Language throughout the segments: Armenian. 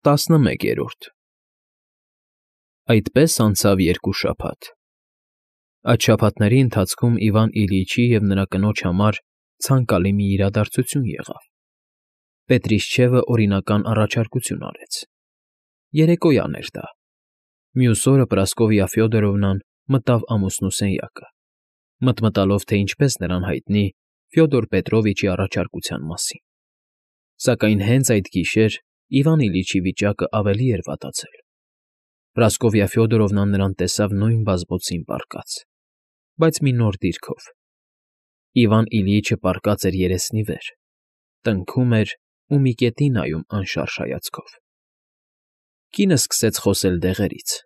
11 Այդպես անցավ 2 շաբաթ։ Այդ շաբաթների ընթացքում Իվան Իլյիչի և նրա կնոջ համար ցանկալի մի իրադարձություն եղավ։ Պետրիշչևը օրինական առաջարկություն արեց։ Երեկոյան էր դա։ Մյուս օրը Պրասկովիա Ֆյոդորովնան մտավ ամուսնու սենյակը, մտմտալով, թե ինչպես նրան հայտնի Ֆյոդոր Պետրովիչի առաջարկության մասին։ Սակայն հենց այդ գիշեր Իվան Իլյիչի վիճակը ավելի էր վատացել։ Պրասկովիա Ֆյոդորովնան նրան տեսավ նույն բազբոցին պառկած, բայց մի նոր դիրքով։ Իվան Իլյիչը պառկած էր երեսնի վեր, տնքում էր ու մի կետի նայում անշարժ հայացքով։ Կինը սկսեց խոսել դեղերից։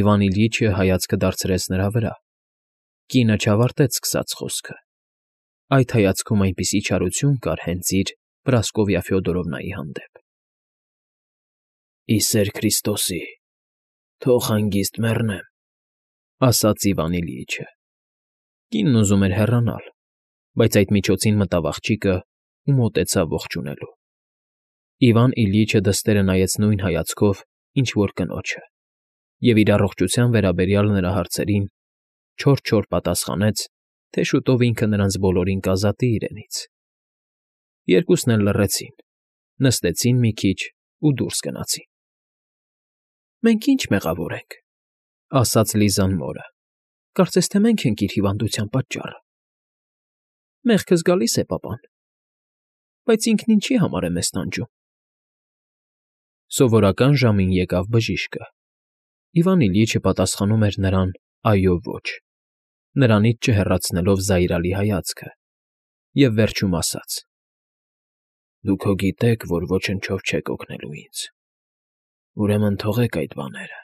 Իվան Իլյիչը հայացքը դարձրեց նրա վրա։ Կինը չավարտեց սկսած խոսքը։ Այդ հայացքում այնպիսի չարություն կար հենց իր Պրասկովիա Ֆյոդորովնայի հանդեպ։ «Ի սեր Քրիստոսի, թող հանգիստ մեռնեմ», ասաց Իվան Իլյիչը։ Կինն ուզում էր հեռանալ, բայց այդ միջոցին մտավ աղջիկը ու մոտեցավ ողջունելու։ Իվան Իլյիչը դստերը նայեց նույն հայացքով, ինչ որ կնոջը, և իր առողջության վերաբերյալ նրա հարցերին չոր պատասխանեց, թե շուտով ինքը նրանց բոլորին կազատի իրենից։ Երկուսն էլ լռեցին, նստեցին մի քիչ ու դուրս գնացին։ «Մենք ի՞նչ մեղավոր ենք,֊ ասաց Լիզան մորը,֊ կարծես թե մենք ենք իր հիվանդության պատճառը»։ «Մեղքը զգալիս է, պապան, բայց ինքն ինչի համար է մեզ տանջում»։ Սովորական ժամին եկավ բժիշկը։ Իվան Իլյիչը պատասխանում էր նրան այո֊ոչ, նրանից չհեռացնելով զայրալի հայացքը, և վերջում ասաց. «Դուք հո գիտեք, որ ոչնչով չեք օգնելու ինձ, ուրեմն թողեք այդ բաները»։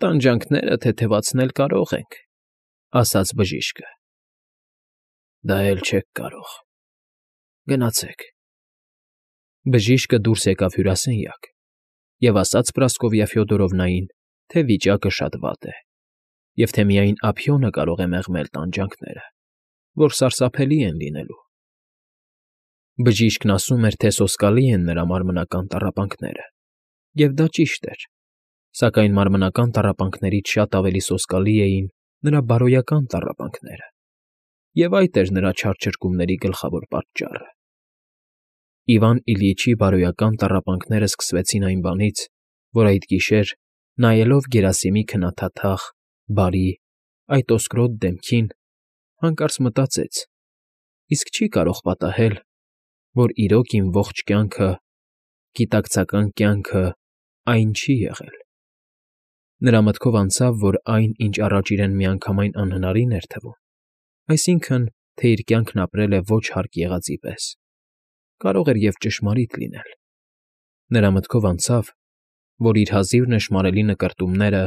«Տանջանքները թեթևացնել կարող ենք,֊ ասաց բժիշկը։ Դա էլ չեք կարող։ Գնացեք»։ Բժիշկը դուրս եկավ հյուրասենյակ և ասաց Պրասկովիա Ֆյոդորովնային, թե վիճակը շատ վատ է, և թե միայն ափիոնը կարող է մեղմել տանջանքները, որ սարսափելի են լինելու։ Բժիշկն ասում էր, թե սոսկալի են նրա մարմնական տառապանքները, և դա ճիշտ էր, սակայն մարմնական տառապանքներից շատ ավելի սոսկալի էին նրա բարոյական տառապանքները, և այդ էր նրա չար ճրկումների գլխավոր պատճառը։ Իվան Իլյիչի բարոյական տառապանքները սկսվեցին այն բանից, որ այդ գիշեր, նայելով Գերասիմի քնաթաթախ, բարի, այդ ոսկրոտ դեմքին, հանկարծ մտածեց. իսկ չի՞ կարող պատահել, որ իրոք իմ ողջ կյանքը, գիտակցական կյանքը այն չի եղել։ Նրա մտքով անցավ, որ այն, ինչ առաջ իրեն միանգամայն անհնարին էր թվում, այսինքն, թե իր կյանքն ապրել է ոչ հարկ եղածի պես, կարող էր և ճշմարիտ լինել։ Նրա մտքով անցավ, որ իր հազիվ նշմարելի նկրտումները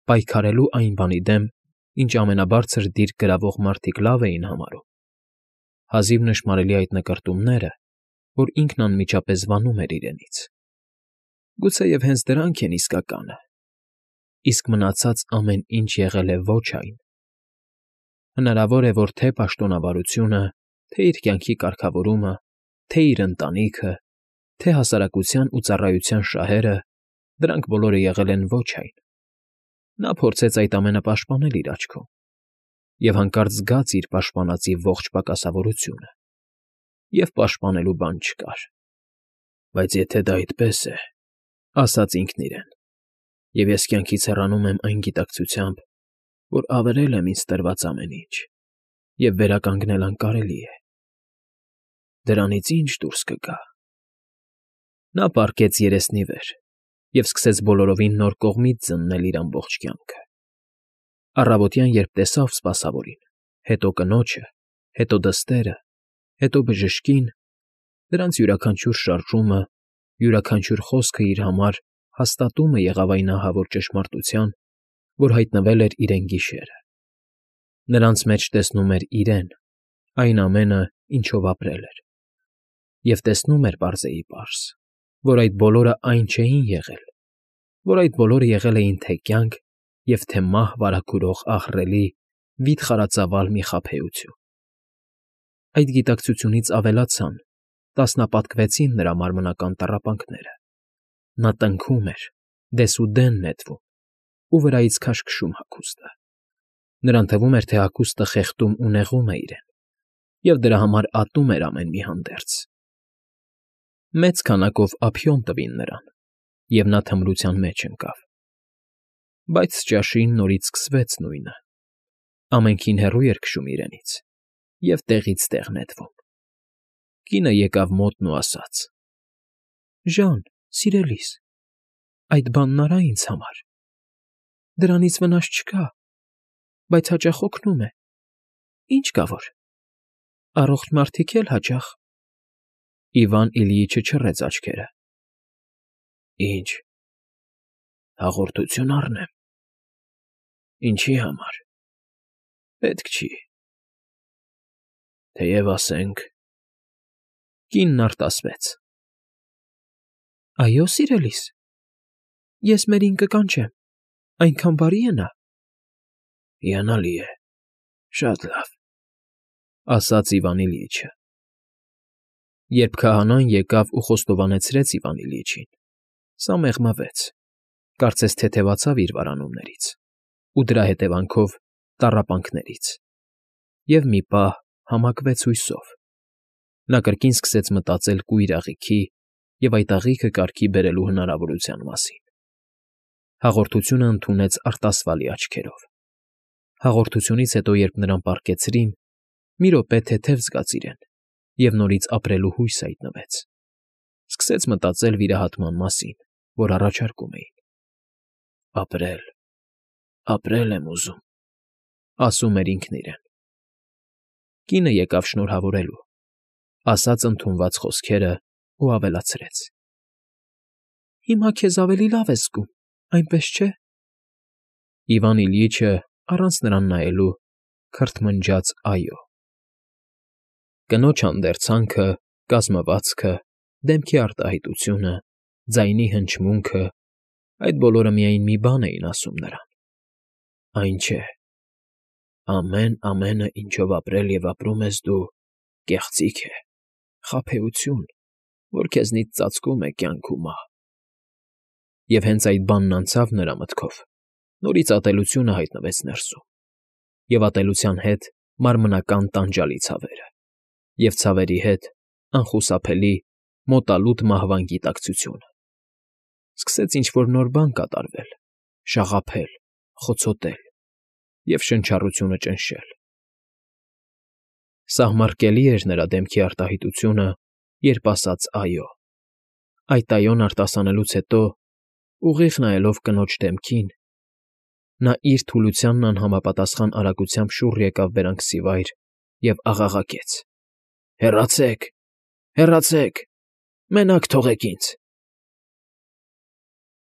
պայքարելու այն բանի դեմ, ինչ ամենաբարձր դիրք գրավող մարդիկ լավ էին համարում, հազիվ նշմարելի այդ նկրտումները, որ ինքն անմիջապես վանում էր իրենից։ Գուցեև հենց դրանք են իսկականը, իսկ մնացած ամեն ինչ եղել է ոչ այն։ Հնարավոր է, որ թե՛ պաշտոնավարությունը, թե՛ իր կյանքի կարգավորումը, թե՛ իր ընտանիքը, թե՛ հասարակության ու ծառայության շահերը, դրանք բոլորը եղել են ոչ այն։ Նա փորձեց այդ ամենը պաշտպանել իր աչքում և հանկարծ զգաց իր պաշտպանածի ողջ պակասավորությունը, և պաշտպանելու բան չկար։ «Բայց եթե դա այդպես է,֊ ասաց ինքն իրեն,֊ և ես կյանքից հեռանում եմ այն գիտակցությամբ, որ ավերել եմ ինձ տրված ամեն ինչ, և վերականգնել անկարելի է, դրանից ի՞նչ դուրս կգա»։ Նա պառկեց երեսնի վեր և սկսեց բոլորովին նոր կողմից զննել իր ամբողջ կյանքը։ Առավոտյան, երբ տեսավ սպասավորին, հետո կնոջը, հետո դստերը, հետո բժշկին, դրանց յուրաքանչյուր շարժումը, յուրաքանչյուր խոսքը իր համար հաստատումը եղավ այն ահավոր ճշմարտության, որ հայտնվել էր իրեն գիշերը։ Նրանց մեջ տեսնում էր իրեն, այն ամենը, ինչով ապրել էր, և տեսնում էր պարզեիպարզ, որ այդ բոլորը այն չէին եղել, որ այդ բոլորը եղել էին թե կյանք և թե մահ վարագուրող ահռելի, վիթխարածավալ մի խաբեություն։ Այդ գիտակցությունից ավելացան, տասնապատկվեցին նրա մարմնական տառապանքները, Նա տնքում էր, դեսուդեն նետվում ու վրայից քաշքշում հագուստը. նրան թվում էր, թե հագուստը խեղդում ու նեղում է իրեն, և դրա համար ատում էր ամեն մի հանդերձ։ Մեծ քանակով ափիոն տվին նրան, և նա թմրության մեջ ընկավ։ Բայց ճաշին նորից սկսվեց նույնը. ամենքին հեռու էր քշում իրենից և տեղից տեղ նետվում։ Կինը եկավ մոտն ու ասաց. «Ժան, սիրելիս, այդ բանն արա ինձ համար։ Դրանից վնաս չկա, բայց հաճախ օգնում է։ Ինչ կա որ։ Առողջ մարդիկ էլ հաճախ»։ Իվան Իլյիչը չռեց աչքերը։ «Ինչ, հաղորդություն առնեմ։ Ինչի համար։ Պետք չի։ Թեև ասենք…» Կինն արտասվեց. «Այո, սիրելիս, ես մերին կկանչեմ, այնքան բարի է նա»։ «Հիանալի է, շատ լավ», ասաց Իվան Իլյիչը։ Երբ քահանան եկավ ու խոստովանեցրեց Իվան Իլյիչին, սա մեղմվեց, կարծես թեթևացավ իր վարանումներից ու դրա հետևանքով տառապանքներից, և մի պահ համակվեց հույսով։ Նա կրկին սկսեց մտածել կույր աղիքի և այդ աղիքը կարգի բերելու հնարավորության մասին։ Հաղորդությունը ընդունեց արտասվալի աչքերով։ Հաղորդությունից հետո, երբ նրան պառկեցրին, մի րոպե թեթև զգաց իրեն և նորից ապրելու հույս հայտնվեց։ Սկսեց մտածել վիրահատման մասին, որ առաջարկում էին։ «Ապրել, ապրել եմ ուզում», ասում էր ինքն իրեն։ Կինը եկավ շնորհավորելու, ասաց ընդունված խոսքերն ու ավելացրեց. «Հիմա քեզ ավելի լավ ես զգում, այնպես չէ՞»։ Իվան Իլյիչը, առանց նրան նայելու, քրթմնջաց «այո»։ Կնոջ հանդերձանքը, կազմվածքը, դեմքի արտահայտությունը, ձայնի հնչմունքը… այդ բոլորը միայն մի բան էին ասում նրան. այն չէ, ամենը, ինչով ապրել և ապրում ես դու, կեղծիք է, խաբեություն, որ քեզնից ծածկում է կյանք ու մահ։ Եվ հենց այդ բանն անցավ նրա մտքով, նորից ատելությունը հայտնվեց ներսում, և ատելության հետ մարմնական տանջալի ցավերը, և ցավերի հետ անխուսափելի, մոտալուտ մահվան գիտակցությունը։ Սկսեց ինչ֊որ նոր բան կատարվել, շաղափել, խոցոտել և շնչառությունը ճնշել։ Սահմռկելի էր նրա դեմքի արտահայտությունը, երբ ասաց «այո»։ Այդ «այոն» արտասանելուց հետո, ուղիղ նայելով կնոջ դեմքին, նա իր թուլությանն անհամապատասխան արագությամբ շուռ եկավ բերանքսիվայր և աղաղակեց. «Հեռացե՛ք, հեռացե՛ք, մենակ թողեք ինձ»։